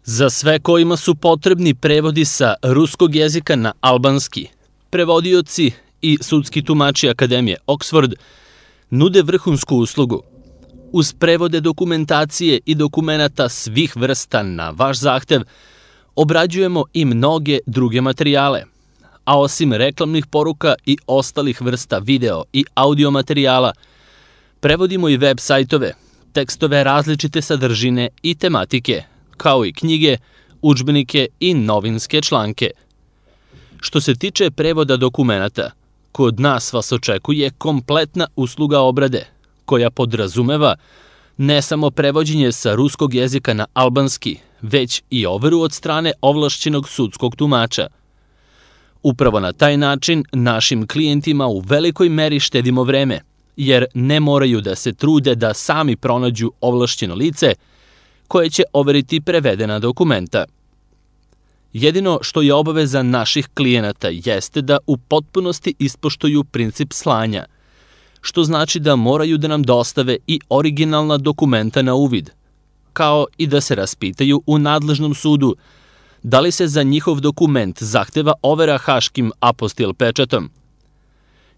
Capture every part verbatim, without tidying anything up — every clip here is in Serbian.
Za sve kojima su potrebni prevodi sa ruskog jezika na albanski, prevodioci i sudski tumači Akademije Oxford nude vrhunsku uslugu. Uz prevode dokumentacije i dokumenata svih vrsta na vaš zahtev, obrađujemo i mnoge druge materijale, a osim reklamnih poruka i ostalih vrsta video i audio materijala, prevodimo i web sajtove, tekstove različite sadržine i tematike, kao i knjige, udžbenike i novinske članke. Što se tiče prevoda dokumenata, kod nas vas očekuje kompletna usluga obrade, koja podrazumeva ne samo prevođenje sa ruskog jezika na albanski, već i overu od strane ovlašćenog sudskog tumača. Upravo na taj način našim klijentima u velikoj meri štedimo vreme, jer ne moraju da se trude da sami pronađu ovlašćeno lice koje će overiti prevedena dokumenta. Jedino što je obaveza naših klijenata jeste da u potpunosti ispoštuju princip slanja, što znači da moraju da nam dostave i originalna dokumenta na uvid, kao i da se raspitaju u nadležnom sudu da li se za njihov dokument zahteva overa haškim apostil pečatom.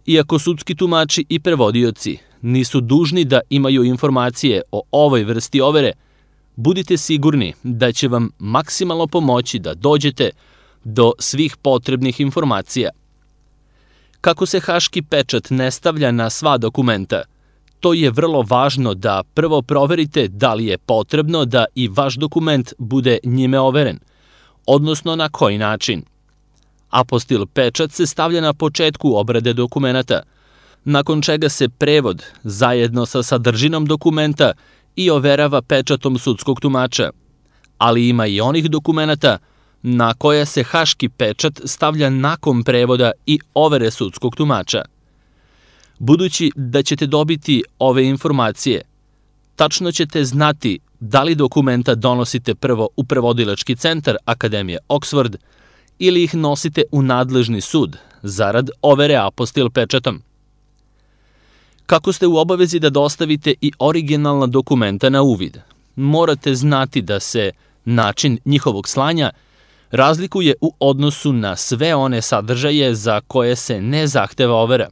Iako sudski tumači i prevodioci nisu dužni da imaju informacije o ovoj vrsti overe, budite sigurni da će vam maksimalno pomoći da dođete do svih potrebnih informacija. Kako se haški pečat ne stavlja na sva dokumenta, to je vrlo važno da prvo proverite da li je potrebno da i vaš dokument bude njime overen, odnosno na koji način. Apostil pečat se stavlja na početku obrade dokumenata, nakon čega se prevod zajedno sa sadržinom dokumenta i overava pečatom sudskog tumača, ali ima i onih dokumenata na koje se haški pečat stavlja nakon prevoda i overe sudskog tumača. Budući da ćete dobiti ove informacije, tačno ćete znati da li dokumenta donosite prvo u prevodilački centar Akademije Oxford ili ih nosite u nadležni sud zarad overe apostil pečatom. Kako ste u obavezi da dostavite i originalna dokumenta na uvid, morate znati da se način njihovog slanja razlikuje u odnosu na sve one sadržaje za koje se ne zahteva overa.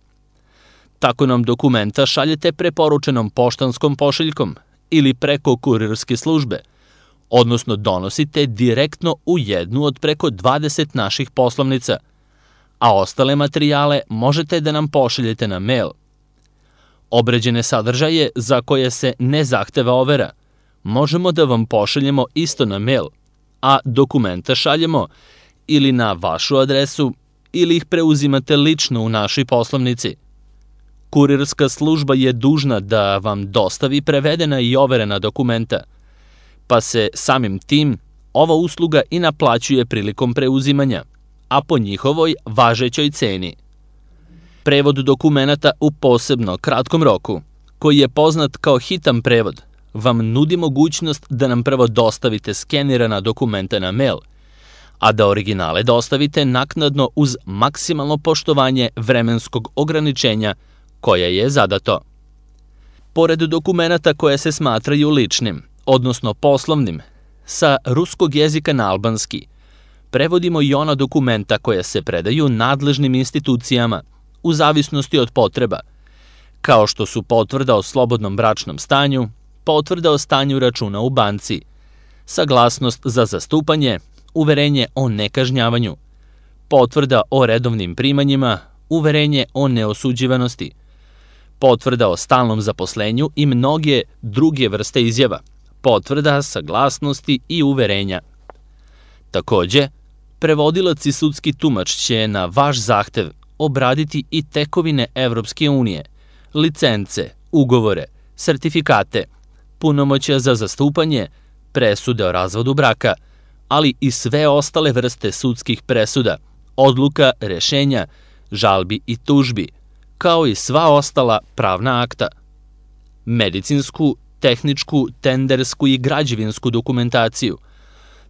Tako nam dokumenta šaljete preporučenom poštanskom pošiljkom ili preko kurirske službe, odnosno donosite direktno u jednu od preko dvadeset naših poslovnica, a ostale materijale možete da nam pošaljete na mail. Obrađene sadržaje za koje se ne zahteva overa možemo da vam pošaljemo isto na mail, a dokumenta šaljemo ili na vašu adresu ili ih preuzimate lično u našoj poslovnici. Kurirska služba je dužna da vam dostavi prevedena i overena dokumenta, pa se samim tim ova usluga i naplaćuje prilikom preuzimanja, a po njihovoj važećoj ceni. Prevod dokumenata u posebno kratkom roku, koji je poznat kao hitan prevod, vam nudi mogućnost da nam prvo dostavite skenirana dokumenta na mail, a da originale dostavite naknadno uz maksimalno poštovanje vremenskog ograničenja koje je zadato. Pored dokumenata koje se smatraju ličnim, odnosno poslovnim, sa ruskog jezika na albanski, prevodimo i ona dokumenta koja se predaju nadležnim institucijama u zavisnosti od potreba, kao što su potvrda o slobodnom bračnom stanju, potvrda o stanju računa u banci, saglasnost za zastupanje, uverenje o nekažnjavanju, potvrda o redovnim primanjima, uverenje o neosuđivanosti, potvrda o stalnom zaposlenju i mnoge druge vrste izjava, potvrda, saglasnosti i uverenja. Takođe, prevodilac i sudski tumač će na vaš zahtev obraditi i tekovine Evropske unije, licence, ugovore, sertifikate, punomoćja za zastupanje, presude o razvodu braka, ali i sve ostale vrste sudskih presuda, odluka, rešenja, žalbi i tužbi, kao i sva ostala pravna akta. Medicinsku, tehničku, tendersku i građevinsku dokumentaciju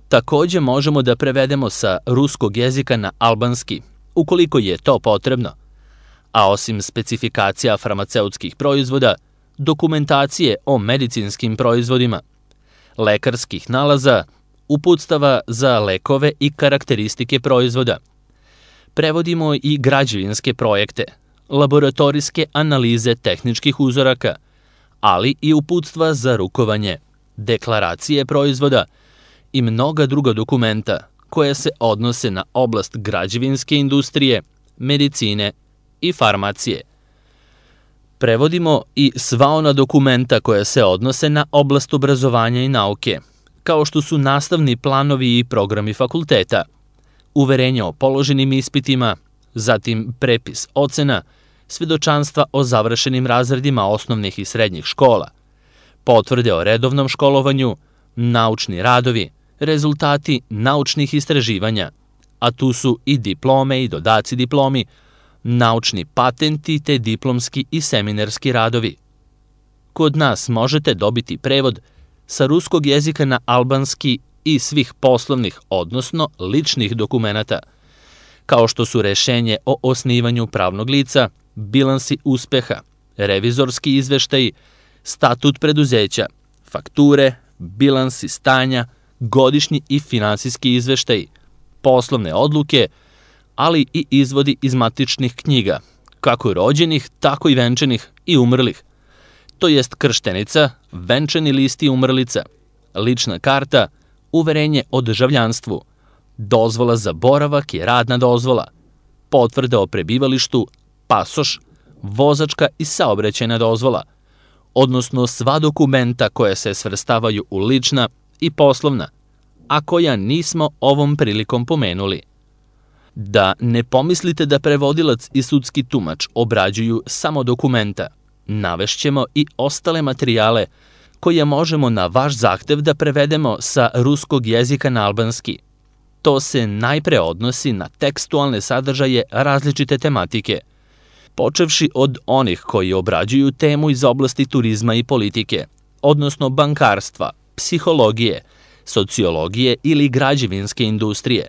takođe možemo da prevedemo sa ruskog jezika na albanski, ukoliko je to potrebno. A osim specifikacija farmaceutskih proizvoda, dokumentacije o medicinskim proizvodima, lekarskih nalaza, uputstava za lekove i karakteristike proizvoda. Prevodimo i građevinske projekte, laboratorijske analize tehničkih uzoraka, ali i uputstva za rukovanje, deklaracije proizvoda i mnoga druga dokumenta koja se odnose na oblast građevinske industrije, medicine i farmacije. Prevodimo i sva ona dokumenta koja se odnose na oblast obrazovanja i nauke, kao što su nastavni planovi i programi fakulteta, uverenja o položenim ispitima, zatim prepis ocena, svedočanstva o završenim razredima osnovnih i srednjih škola, potvrde o redovnom školovanju, naučni radovi, rezultati naučnih istraživanja, a tu su i diplome i dodaci diplomi, naučni patenti te diplomski i seminarski radovi. Kod nas možete dobiti prevod sa ruskog jezika na albanski i svih poslovnih, odnosno ličnih dokumenata, kao što su rešenje o osnivanju pravnog lica, bilansi uspeha, revizorski izveštaji, statut preduzeća, fakture, bilansi stanja, godišnji i finansijski izveštaji, poslovne odluke, ali i izvodi iz matičnih knjiga, kako rođenih, tako i venčanih i umrlih, to jest krštenica, venčani list i umrlica, lična karta, uverenje o državljanstvu, dozvola za boravak i radna dozvola, potvrda o prebivalištu, pasoš, vozačka i saobraćajna dozvola, odnosno sva dokumenta koja se svrstavaju u lična i poslovna, a koja nismo ovom prilikom pomenuli. Da ne pomislite da prevodilac i sudski tumač obrađuju samo dokumenta, navešćemo i ostale materijale koje možemo na vaš zahtev da prevedemo sa ruskog jezika na albanski. To se najpre odnosi na tekstualne sadržaje različite tematike, počevši od onih koji obrađuju temu iz oblasti turizma i politike, odnosno bankarstva, psihologije, sociologije ili građevinske industrije,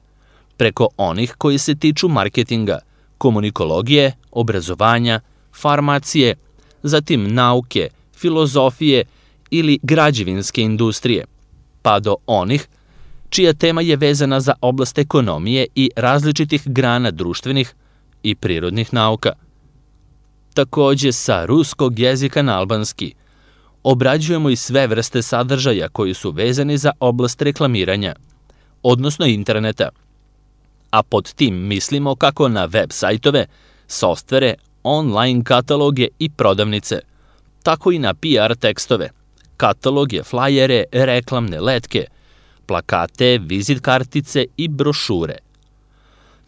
preko onih koji se tiču marketinga, komunikologije, obrazovanja, farmacije, zatim nauke, filozofije ili građevinske industrije, pa do onih čija tema je vezana za oblast ekonomije i različitih grana društvenih i prirodnih nauka. Takođe, sa ruskog jezika na albanski obrađujemo i sve vrste sadržaja koji su vezani za oblast reklamiranja, odnosno interneta, a pod tim mislimo kako na web sajtove, softvere, online kataloge i prodavnice, tako i na P R tekstove, kataloge, flajere, reklamne letke, plakate, vizit kartice i brošure.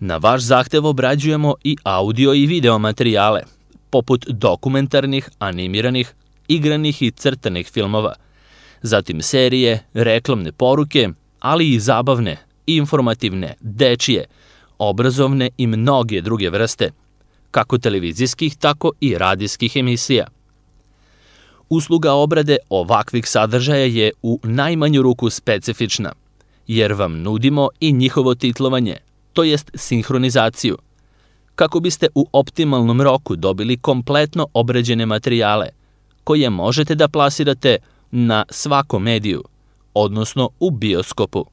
Na vaš zahtev obrađujemo i audio i video materijale, poput dokumentarnih, animiranih, igranih i crtanih filmova, zatim serije, reklamne poruke, ali i zabavne, informativne, dečije, obrazovne i mnoge druge vrste, kako televizijskih, tako i radijskih emisija. Usluga obrade ovakvih sadržaja je u najmanju ruku specifična, jer vam nudimo i njihovo titlovanje, to jest sinhronizaciju, kako biste u optimalnom roku dobili kompletno obrađene materijale, koje možete da plasirate na svakom mediju, odnosno u bioskopu.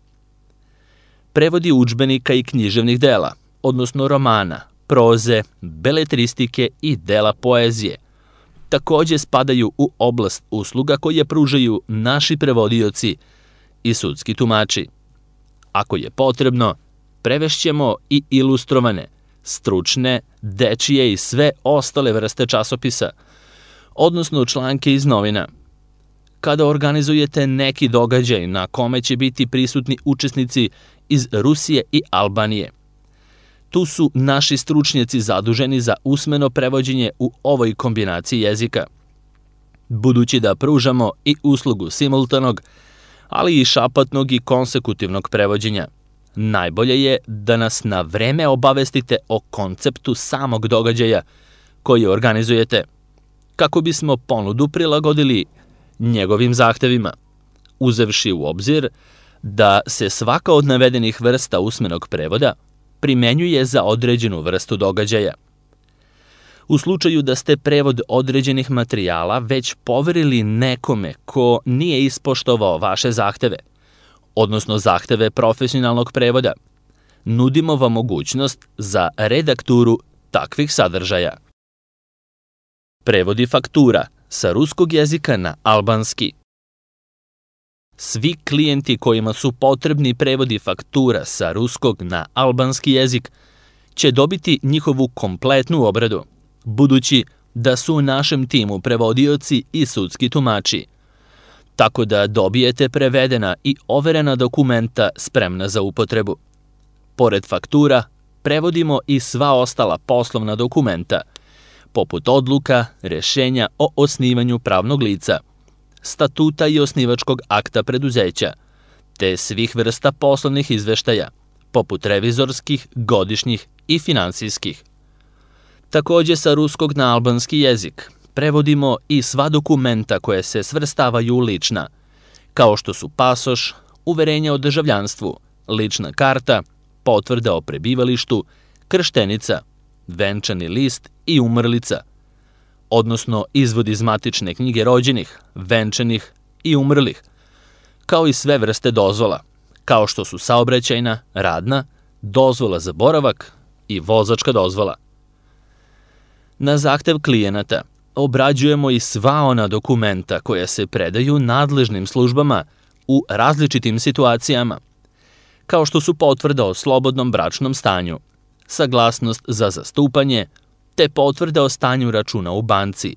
Prevodi udžbenika i književnih dela, odnosno romana, proze, beletristike i dela poezije, takođe spadaju u oblast usluga koje pružaju naši prevodioci i sudski tumači. Ako je potrebno, prevešćemo i ilustrovane, stručne, dečije i sve ostale vrste časopisa, odnosno članke iz novina. Kada organizujete neki događaj na kome će biti prisutni učesnici iz Rusije i Albanije, tu su naši stručnjaci zaduženi za usmeno prevođenje u ovoj kombinaciji jezika. Budući da pružamo i uslugu simultanog, ali i šapatnog i konsekutivnog prevođenja, najbolje je da nas na vreme obavestite o konceptu samog događaja koji organizujete, kako bismo ponudu prilagodili njegovim zahtevima, uzevši u obzir da se svaka od navedenih vrsta usmenog prevoda primenjuje za određenu vrstu događaja. U slučaju da ste prevod određenih materijala već poverili nekome ko nije ispoštovao vaše zahteve, odnosno zahteve profesionalnog prevoda. Nudimo vam mogućnost za redakturu takvih sadržaja. Prevodi faktura sa ruskog jezika na albanski. Svi klijenti kojima su potrebni prevodi faktura sa ruskog na albanski jezik će dobiti njihovu kompletnu obradu, budući da su u našem timu prevodioci i sudski tumači, tako da dobijete prevedena i overena dokumenta spremna za upotrebu. Pored faktura, prevodimo i sva ostala poslovna dokumenta, poput odluka, rešenja o osnivanju pravnog lica, statuta i osnivačkog akta preduzeća, te svih vrsta poslovnih izveštaja, poput revizorskih, godišnjih i finansijskih. Takođe sa ruskog na albanski jezik prevodimo i sva dokumenta koje se svrstavaju u lična, kao što su pasoš, uverenje o državljanstvu, lična karta, potvrda o prebivalištu, krštenica, venčani list i umrlica, odnosno izvod iz matične knjige rođenih, venčanih i umrlih, kao i sve vrste dozvola, kao što su saobraćajna, radna, dozvola za boravak i vozačka dozvola. Na zahtev klijenata obrađujemo i sva ona dokumenta koja se predaju nadležnim službama u različitim situacijama, kao što su potvrda o slobodnom bračnom stanju, saglasnost za zastupanje, te potvrda o stanju računa u banci,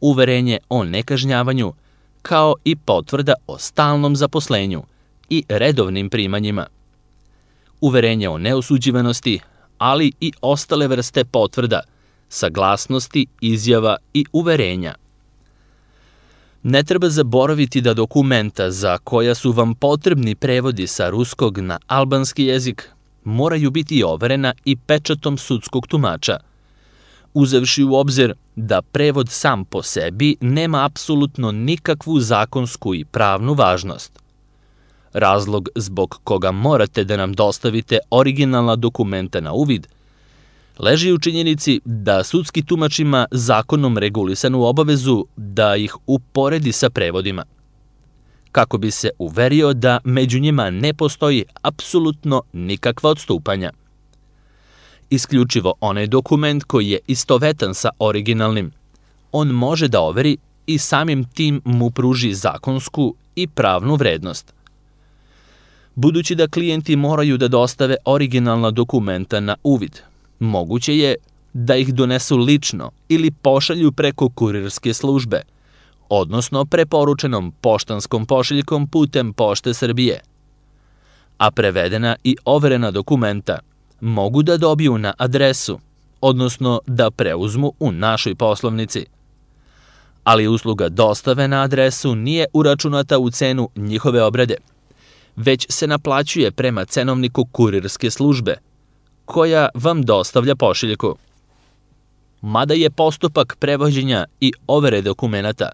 uverenje o nekažnjavanju, kao i potvrda o stalnom zaposlenju i redovnim primanjima, uverenje o neosuđivanosti, ali i ostale vrste potvrda, saglasnosti, izjava i uverenja. Ne treba zaboraviti da dokumenta za koja su vam potrebni prevodi sa ruskog na albanski jezik moraju biti overena i pečatom sudskog tumača, uzevši u obzir da prevod sam po sebi nema apsolutno nikakvu zakonsku i pravnu važnost. Razlog zbog koga morate da nam dostavite originalna dokumenta na uvid leži u činjenici da sudski tumač ima zakonom regulisanu obavezu da ih uporedi sa prevodima, kako bi se uverio da među njima ne postoji apsolutno nikakva odstupanja. Isključivo onaj dokument koji je istovetan sa originalnim, on može da overi i samim tim mu pruži zakonsku i pravnu vrednost. Budući da klijenti moraju da dostave originalna dokumenta na uvid, moguće je da ih donesu lično ili pošalju preko kurirske službe, odnosno preporučenom poštanskom pošiljkom putem Pošte Srbije. A prevedena i overena dokumenta mogu da dobiju na adresu, odnosno da preuzmu u našoj poslovnici. Ali usluga dostave na adresu nije uračunata u cenu njihove obrade, već se naplaćuje prema cenovniku kurirske službe, koja vam dostavlja pošiljku. Mada je postupak prevođenja i overe dokumenata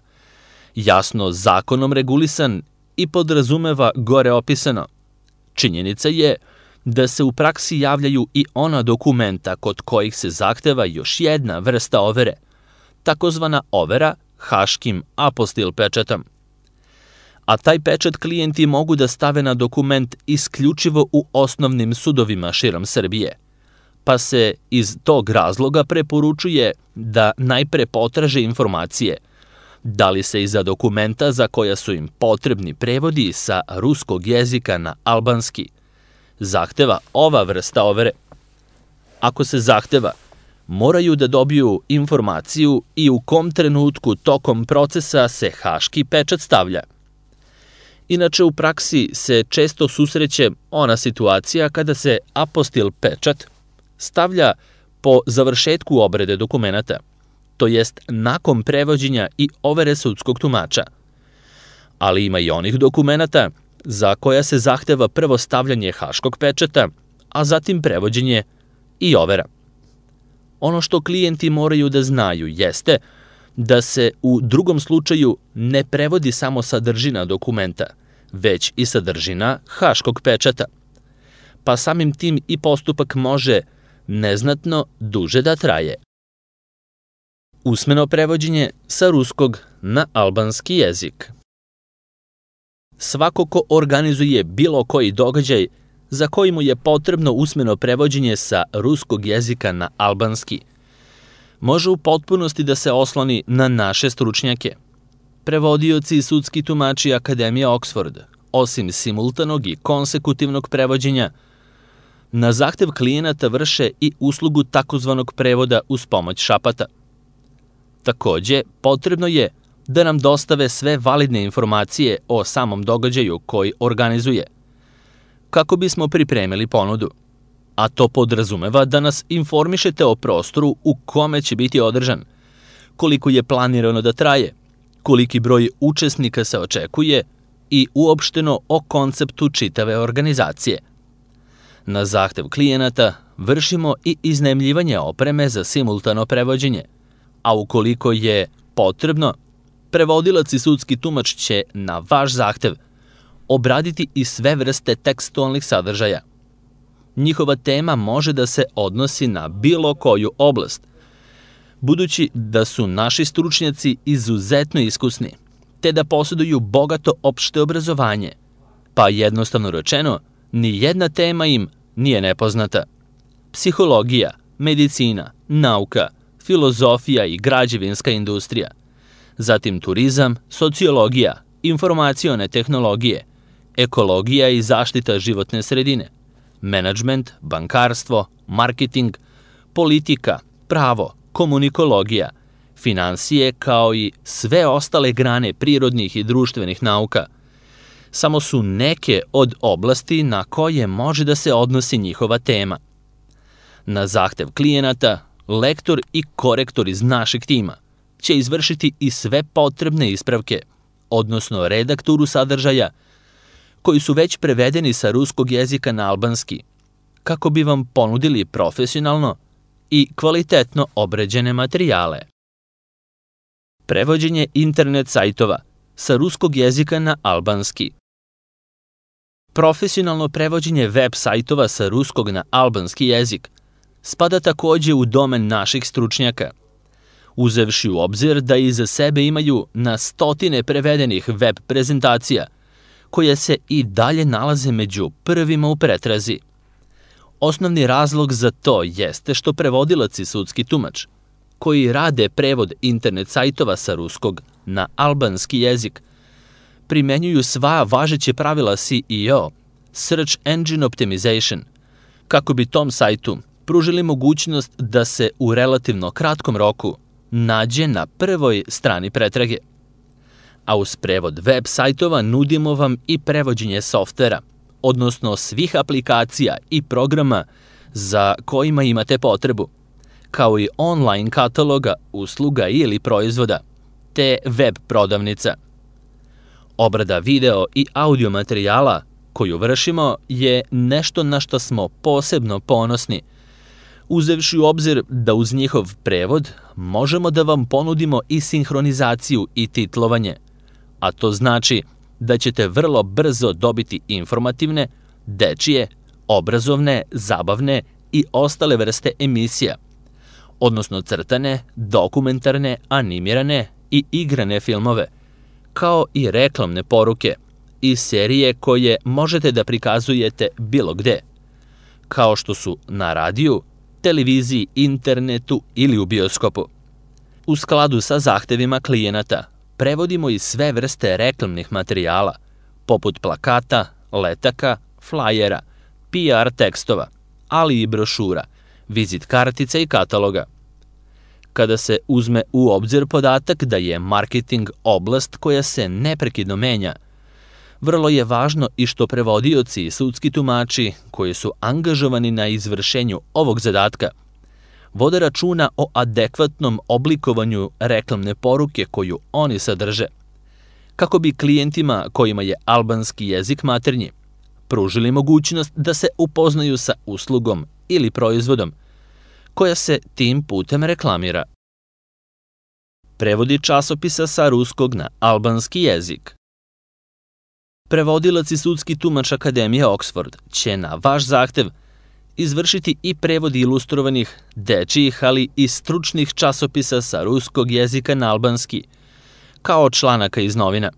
jasno zakonom regulisan i podrazumeva gore opisano, činjenica je da se u praksi javljaju i ona dokumenta kod kojih se zahteva još jedna vrsta overe, takozvana overa haškim apostil pečatom. A taj pečat klijenti mogu da stave na dokument isključivo u osnovnim sudovima širom Srbije, pa se iz tog razloga preporučuje da najpre potraže informacije da li se iza dokumenta za koja su im potrebni prevodi sa ruskog jezika na albanski zahteva ova vrsta overe. Ako se zahteva, moraju da dobiju informaciju i u kom trenutku tokom procesa se haški pečat stavlja. Inače, u praksi se često susreće ona situacija kada se apostil pečat stavlja po završetku obrade dokumenata, to jest nakon prevođenja i overe sudskog tumača. Ali ima i onih dokumenata za koja se zahteva prvo stavljanje haškog pečata, a zatim prevođenje i overa. Ono što klijenti moraju da znaju jeste da se u drugom slučaju ne prevodi samo sadržina dokumenta, već i sadržina haškog pečata, pa samim tim i postupak može neznatno duže da traje. Usmeno prevođenje sa ruskog na albanski jezik. Svako ko organizuje bilo koji događaj za koji mu je potrebno usmeno prevođenje sa ruskog jezika na albanski, može u potpunosti da se osloni na naše stručnjake. Prevodioci i sudski tumači Akademije Oxford, osim simultanog i konsekutivnog prevođenja, na zahtev klijenata vrše i uslugu takozvanog prevoda uz pomoć šapata. Takođe, potrebno je da nam dostave sve validne informacije o samom događaju koji organizuje, kako bismo pripremili ponudu, a to podrazumeva da nas informišete o prostoru u kome će biti održan, koliko je planirano da traje, koliki broj učesnika se očekuje i uopšteno o konceptu čitave organizacije. Na zahtev klijenata vršimo i iznajmljivanje opreme za simultano prevođenje, a ukoliko je potrebno, prevodilac i sudski tumač će na vaš zahtev obraditi i sve vrste tekstualnih sadržaja. Njihova tema može da se odnosi na bilo koju oblast, budući da su naši stručnjaci izuzetno iskusni, te da posjeduju bogato opšte obrazovanje, pa jednostavno rečeno, ni jedna tema im nije nepoznata. Psihologija, medicina, nauka, filozofija i građevinska industrija, zatim turizam, sociologija, informacione tehnologije, ekologija i zaštita životne sredine, menadžment, bankarstvo, marketing, politika, pravo, komunikologija, finansije kao i sve ostale grane prirodnih i društvenih nauka, samo su neke od oblasti na koje može da se odnosi njihova tema. Na zahtev klijenata, lektor i korektor iz našeg tima će izvršiti i sve potrebne ispravke, odnosno redakturu sadržaja, koji su već prevedeni sa ruskog jezika na albanski, kako bi vam ponudili profesionalno i kvalitetno obrađene materijale. Prevođenje internet sajtova sa ruskog jezika na albanski. Profesionalno prevođenje web sajtova sa ruskog na albanski jezik spada takođe u domen naših stručnjaka, uzevši u obzir da iza sebe imaju na stotine prevedenih web prezentacija, koje se i dalje nalaze među prvima u pretrazi. Osnovni razlog za to jeste što prevodilac i sudski tumač, koji rade prevod internet sajtova sa ruskog na albanski jezik, primenjuju sva važeće pravila S E O, Search Engine Optimization, kako bi tom sajtu pružili mogućnost da se u relativno kratkom roku nađe na prvoj strani pretrage. A uz prevod web sajtova nudimo vam i prevođenje softvera, odnosno svih aplikacija i programa za kojima imate potrebu, kao i online kataloga, usluga ili proizvoda, te web prodavnica. Obrada video i audio materijala koju vršimo je nešto na što smo posebno ponosni, uzevši u obzir da uz njihov prevod možemo da vam ponudimo i sinhronizaciju i titlovanje, a to znači da ćete vrlo brzo dobiti informativne, dečije, obrazovne, zabavne i ostale vrste emisija, odnosno crtane, dokumentarne, animirane i igrane filmove, kao i reklamne poruke i serije koje možete da prikazujete bilo gde, kao što su na radiju, televiziji, internetu ili u bioskopu. U skladu sa zahtevima klijenata, prevodimo i sve vrste reklamnih materijala, poput plakata, letaka, flajera, P R tekstova, ali i brošura, vizit kartica i kataloga. Kada se uzme u obzir podatak da je marketing oblast koja se neprekidno menja, vrlo je važno i što prevodioci i sudski tumači koji su angažovani na izvršenju ovog zadatka vode računa o adekvatnom oblikovanju reklamne poruke koju oni sadrže, kako bi klijentima kojima je albanski jezik maternji pružili mogućnost da se upoznaju sa uslugom ili proizvodom koja se tim putem reklamira. Prevodi časopisa sa ruskog na albanski jezik. Prevodilac i sudski tumač Akademije Oxford će na vaš zahtev izvršiti i prevod ilustrovanih, dečijih, ali i stručnih časopisa sa ruskog jezika na albanski, kao članaka iz novina.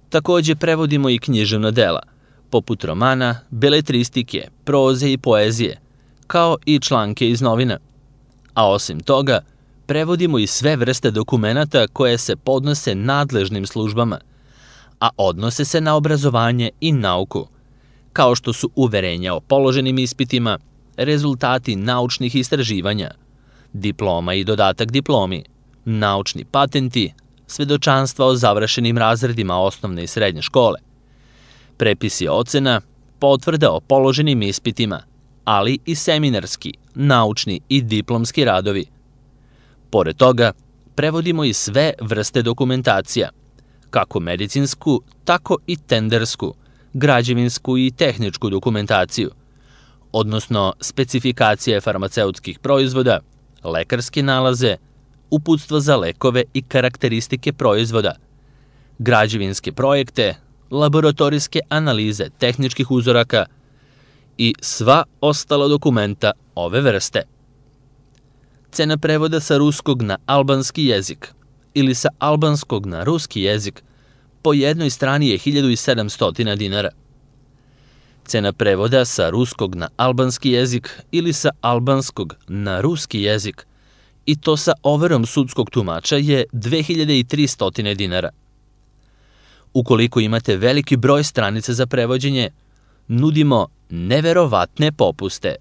Takođe prevodimo i književna dela, poput romana, beletristike, proze i poezije, kao i članke iz novina. A osim toga, prevodimo i sve vrste dokumenata koje se podnose nadležnim službama, a odnose se na obrazovanje i nauku, kao što su uverenja o položenim ispitima, rezultati naučnih istraživanja, diploma i dodatak diplomi, naučni patenti, svedočanstva o završenim razredima osnovne i srednje škole, prepisi ocena, potvrda o položenim ispitima, ali i seminarski, naučni i diplomski radovi. Pored toga, prevodimo i sve vrste dokumentacija, kako medicinsku, tako i tendersku, građevinsku i tehničku dokumentaciju, odnosno specifikacije farmaceutskih proizvoda, lekarske nalaze, uputstva za lekove i karakteristike proizvoda, građevinske projekte, laboratorijske analize tehničkih uzoraka i sva ostala dokumenta ove vrste. Cena prevoda sa ruskog na albanski jezik ili sa albanskog na ruski jezik po jednoj strani je hiljadu sedamsto dinara. Cena prevoda sa ruskog na albanski jezik ili sa albanskog na ruski jezik i to sa overom sudskog tumača je dve hiljade tristo dinara. Ukoliko imate veliki broj stranica za prevođenje, nudimo neverovatne popuste.